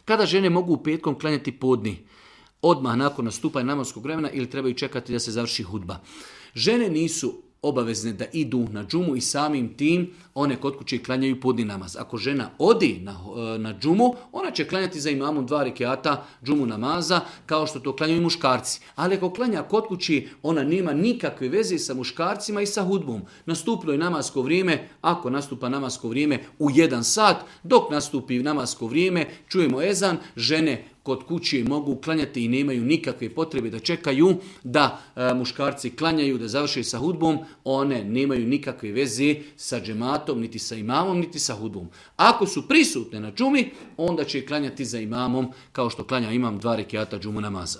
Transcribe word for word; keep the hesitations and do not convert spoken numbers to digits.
Kada žene mogu petkom klanjati podni? Odmah nakon nastupanja namazskog vremena ili trebaju čekati da se završi hudba? Žene nisu obavezne da idu na džumu i samim tim one kod kuće klanjaju podni namaz. Ako žena odi na, na džumu, ona će klanjati za imamom dva rekiata džumu namaza, kao što to klanjaju muškarci. Ali ako klanja kod kući, ona nema nikakve veze sa muškarcima i sa hudbom. Nastupilo je namasko vrijeme, ako nastupa namasko vrijeme u jedan sat, dok nastupi namasko vrijeme, čujemo ezan, žene kod kuće mogu klanjati i nemaju nikakve potrebe da čekaju da e, muškarci klanjaju, da završe sa hudbom, one nemaju nikakve veze sa džematom, niti sa imamom, niti sa hudbom. Ako su prisutne na džumi, onda će klanjati za imamom, kao što klanja imam dva rekiata džumu namaza.